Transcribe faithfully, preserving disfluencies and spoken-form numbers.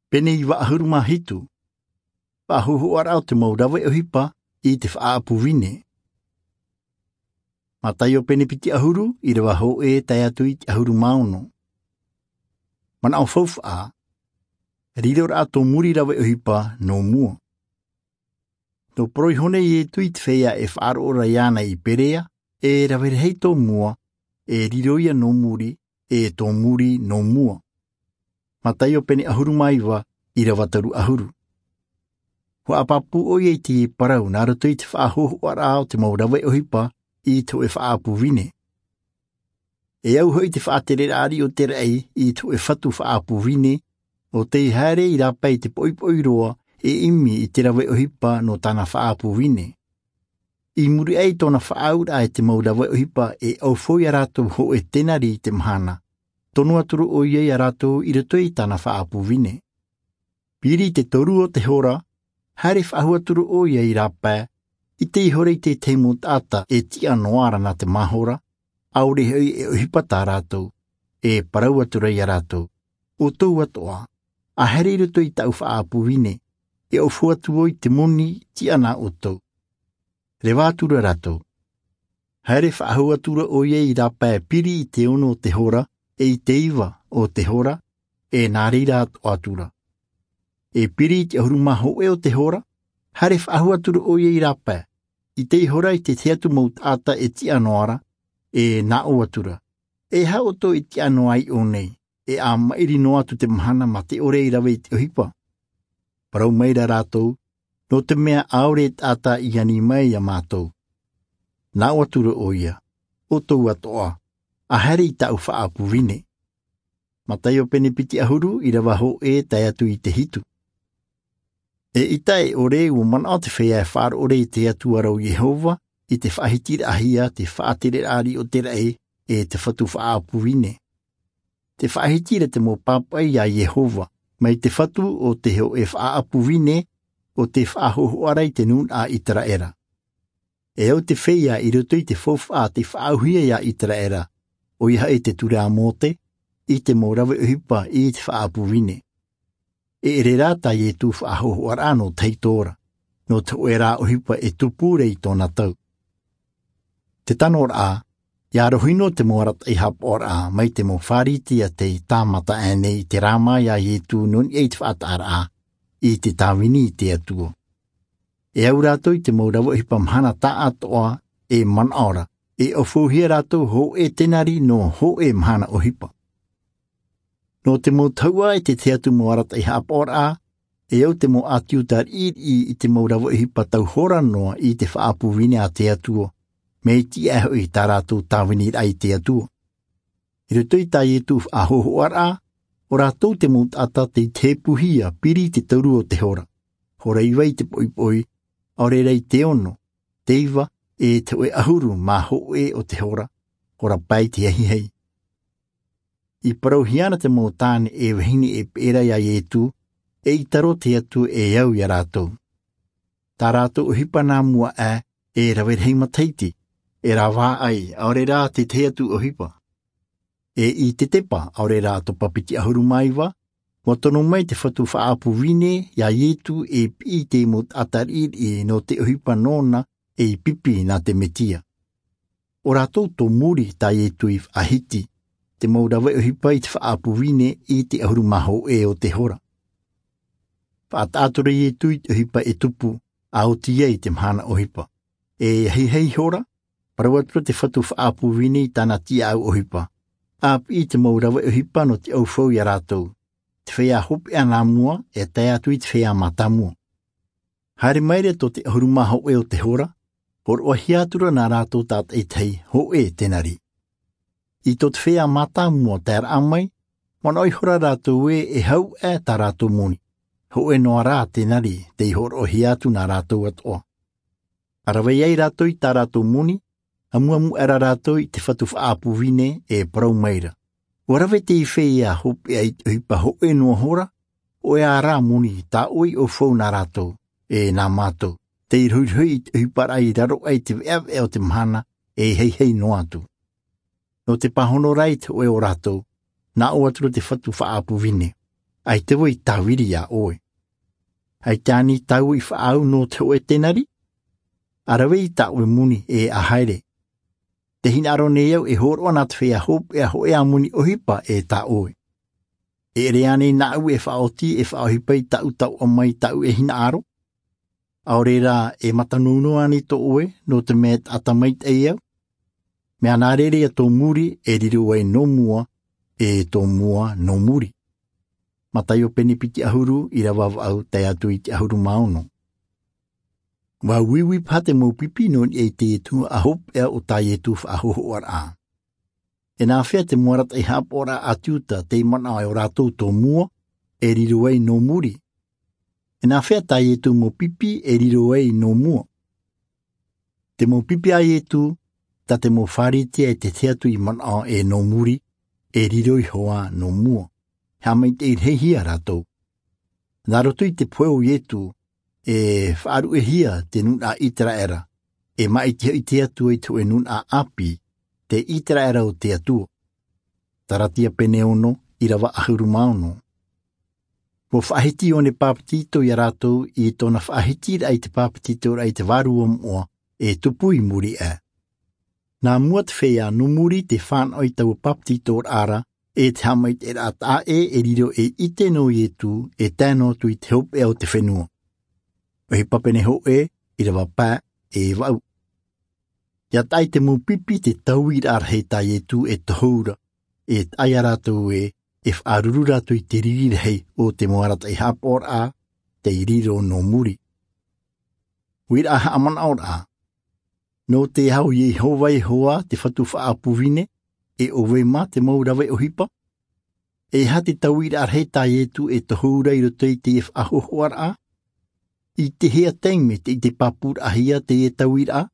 Pene iva ʻahuru mā hitu. Faʻahohoʻaraʻa o te mau rave ʻohipa i te faʻaʻapu vine. Mataio pene piti ʻahuru, ʻirava hōʻē tae atu i te ʻahuru mā ono. Manaʻo faufaʻa. Riroraʻa tō muri rave ʻohipa nō mua. Nō parau iho nei iesu i te feiā e faʻaroʻo ra iāna i perea, e rave rahi tō mua, e riro ia nō muri, e tō muri nō mua. Mataio pene ʻahuru mā iva, ʻirava toru ʻahuru. Ua ʻapapū ʻoia i te parau nā roto i te faʻahohoʻaraʻa o te mau rave ʻohipa i te hōʻē faʻaʻapu vine. E au hoʻi te faʻatereraʻa riʻi o te raʻi i te hōʻē fatu faʻaʻapu vine, ʻo tei haere i rāpae i te poʻipoʻi roa, e ʻimi i te rave ʻohipa nō tāna faʻaʻapu vine. I muri aʻe i tōna faʻaauraʻa e te mau rave ʻohipa, e ʻaufau iā rātou hōʻē tenari i te mahana, tono atu ra ʻoia iā rātou i roto i tāna faʻaʻapu vine. Piri i te toru o te hora, haere faʻahou atu ra ʻoia i rāpae, ʻite ihora i te tahi mau taʻata e tiʻa noa ra nā te mahora, ʻaore hoʻi e ʻohipa tā rātou, e parau atu ra iā rātou, ʻoutou atoʻa, ʻa haere i roto i tāʻu faʻaʻapu vine, e ʻaufau atu vau i te moni tiʻa nā ʻoutou. Reva atu ra rātou. Haere faʻahou atu ra ʻoia i rāpae piri i te ono o te hora, e i te iva o te hora, e nā reira atoʻa atu ra. E piri i te ʻahuru mā hōʻē o te hora, haere faʻahou atu ra ʻoia i rāpae, ʻite ihora i te tahi atu mau taʻata e tiʻa noa ra, e nā ʻō atu ra, e aha ʻoutou e tiʻa noa ai ʻō nei, e ʻa maʻiri noa atu te mahana mā te ʻore i rave i te ʻohipa? Parau maira rātou, nō te mea ʻaore taʻata i ani mai iā mātou. Nā ʻō atu ra ʻoia, ʻoutou atoʻa, ʻa haere i tāʻu faʻaʻapu vine. Mataio pene piti ʻahuru, ʻirava hōʻē tae atu i te hitu. Eʻita e ʻore, ua manaʻo te feiā e faʻaroʻo ra i te Atua ra ʻo Iehova, i te faʻahitiraʻahia te faʻatereraʻa riʻi o te raʻi, e te fatu faʻaʻapu vine. Te faʻahiti ra te mau pāpaʻi iā Iehova, mai te fatu o te hōʻē faʻaʻapu vine, ʻo te faʻahohoʻa ra i te nūnaʻa ʻĪteraʻera. E au te feiā i roto i te faufaʻa tei faʻaauhia iā ʻĪteraʻera, ʻoia hoʻi te ture a Mōte, i te mau rave ʻohipa i te faʻaʻapu vine. E ʻere rā tā Ietu faʻahohoʻaraʻa nō tahito ra, nō te hōʻē rā ʻohipa e tupu ra i tōna tau. Te tano ra, ʻia rohi noa te mau arataʻi haʻapaʻoraʻa mai te mau Pharisea tei tāmata aʻe nei i te rāma iā Ietu nō niʻa i te faʻataʻaraʻa i te tāvini i te Atua. E au rātou i te mau rave ʻohipa mahana taʻatoʻa e manaʻo ra, e ʻaufauhia rātou hōʻē tenari nō hōʻē mahana ʻohipa. Nō te mau tahuʻa e te tahi atu mau arataʻi haʻapaʻoraʻa, e au te mau ʻĀti Iuta riʻiriʻi i te mau rave ʻohipa tau hora noa i te faʻaʻapu vine a te Atua, mea iti aʻe hoʻi tā rātou tāviniraʻa i te Atua. I roto i tā Ietu faʻahohoʻaraʻa, ʻo rātou te mau taʻata tei tepuhia piri i te toru o te hora, hora iva i te poʻipoʻi, ʻaore rā i te ono, te iva, e te hōʻē ʻahuru mā hōʻē o te hora, hora pae i te ahiahi. I parauhia na te mau tāne e vahine e peʻe ra iā Ietu, eʻita rō te Atua e au iā rātou. Tā rātou ʻohipa nā mua aʻe, e rave rahi matahiti, e rāvaʻai, ʻaore rā te tahi atu ʻohipa. E i te tepa, ʻaore rā topa piti ʻahuru mā iva, ua tono mai te fatu faʻaʻapu vine iā Ietu e piʻi i te mau taʻata riʻiriʻi nō te ʻohipa nōna ei pipi nā te Mesia. ʻO rātou tō muri tā Ietu i faʻahiti, te mau rave ʻohipa i te faʻaʻapu vine i te ʻahuru mā hōʻē o te hora. Faʻataʻa atu ra Ietu i te ʻohipa e tupu, ʻa oti ai te mahana ʻohipa. E ahiahi hora, parau atu ra te fatu faʻaʻapu vine i tāna tiʻaʻau ʻohipa. ʻA piʻi i te mau rave ʻohipa nō te ʻaufau iā rātou. Te feiā hopeʻa nā mua, e tae atu i te feiā mātāmua. Haere mai ra tō te ʻahuru mā hōʻē o te hora, hōroʻahia atu ra nā rātou tātaʻitahi hōʻē tenari. I tō te feiā mātāmua taeraʻa mai, manaʻo ihora rātou ē e hau aʻe tā rātou moni, hōʻē noa rā tenari tei hōroʻahia atu nā rātou atoʻa. ʻA rave ai rātou i tā rātou moni, ʻamuʻamu aʻera rātou i te fatu faʻaʻapu vine e parau mai ra. ʻUa rave teie feiā hopeʻa i te ʻohipa hōʻē noa hora, hōʻē ā rā moni tā ʻoe i ʻaufau nā rātou, e nā mātou, tei rohirohi i te ʻohiparaʻa i raro aʻe i te veʻaveʻa o te mahana e haihai noa atu. Nō te pāhono ra i te hōʻē o rātou, nā ʻō atu ra te fatu faʻaʻapu vine. ʻAita vau i tāviri iā ʻoe. ʻAita ānei tāua i faʻaau nō te hōʻē tenari? ʻA rave i tā ʻoe moni e ʻa haere. Tē hinaʻaro nei au e hōroʻa nā te feiā hopeʻa hōʻē ā moni ʻohipa e tā ʻoe. E ʻere ānei nāʻu e faʻaoti e faʻaʻohipa i tāʻu tauʻa mai tāʻu e hinaʻaro? ʻAore rā, e matanounou ānei tō ʻoe nō te mea e taʻata maitaʻi au? Mea nā reira ia tō muri e riro ai nō mua, e tō mua nō muri. Mataio pene piti ʻahuru, ʻīrava vaʻu tae atu i te ʻahuru mā ono. Ua uiui paha te mau pipi nō niʻa i te Ietu ʻa hopeʻa o tā Ietu faʻahōhoʻaraʻa. E nāfea te mau arataʻi haʻapaʻoraʻa a te Iuta tei manaʻo ai ʻo rātou tō mua e riro ai nō muri? E nāfea tā Ietu mau pipi e riro ai nō mua? Te mau pipi a Ietu, tā te mau Pharisea e te tahi atu i manaʻo e nō muri, e riro iho ā nō mua. Haʻamaitaʻi rahi hia rātou. Nā roto i te pohe o Ietu, e faʻaruʻehia te nūnaʻa ʻĪteraʻera, e māʻiti hoʻi te Atua i te hōʻē nūnaʻa ʻāpī, te ʻĪteraʻera o te Atua. Galatia pene ono, ʻīrava ʻahuru mā ono. Ua faʻahiti Ioane Bāpetizo iā rātou i tōna faʻahitiraʻa i te bāpetizoraʻa i te Vārua Moʻa e tupu i muri aʻe. Nā mua te feiā nō muri tē fānaʻo i taua bāpetizoraʻa ra, e te haʻamaitaʻiraʻa taʻa ʻē e riro ei ʻite nō Ietu e tae noa atu i te hopeʻa o te fenua. ʻOhipa pene hōʻē, ʻīrava pae e vaʻu. ʻIa taʻa i te mau pipi te tauiraʻa rahi tā Ietu e tohu ra, e taʻa ia rātou ē, e faʻaruru rātou i te riri rahi o te mau arataʻi haʻapaʻoraʻa tei riro nō muri. Uiraʻa haʻamanaʻoraʻa. Nō te aho o Iehova Ihoa te Fatu Faʻaʻapu Vine, e ʻo vai mā te mau rave ʻohipa? E aha te tauiraʻa rahi tā Ietu e tohu ra i roto i teie faʻahōhoʻaraʻa? I te hea taime tē ʻite pāpūraʻahia teie tauiraʻa?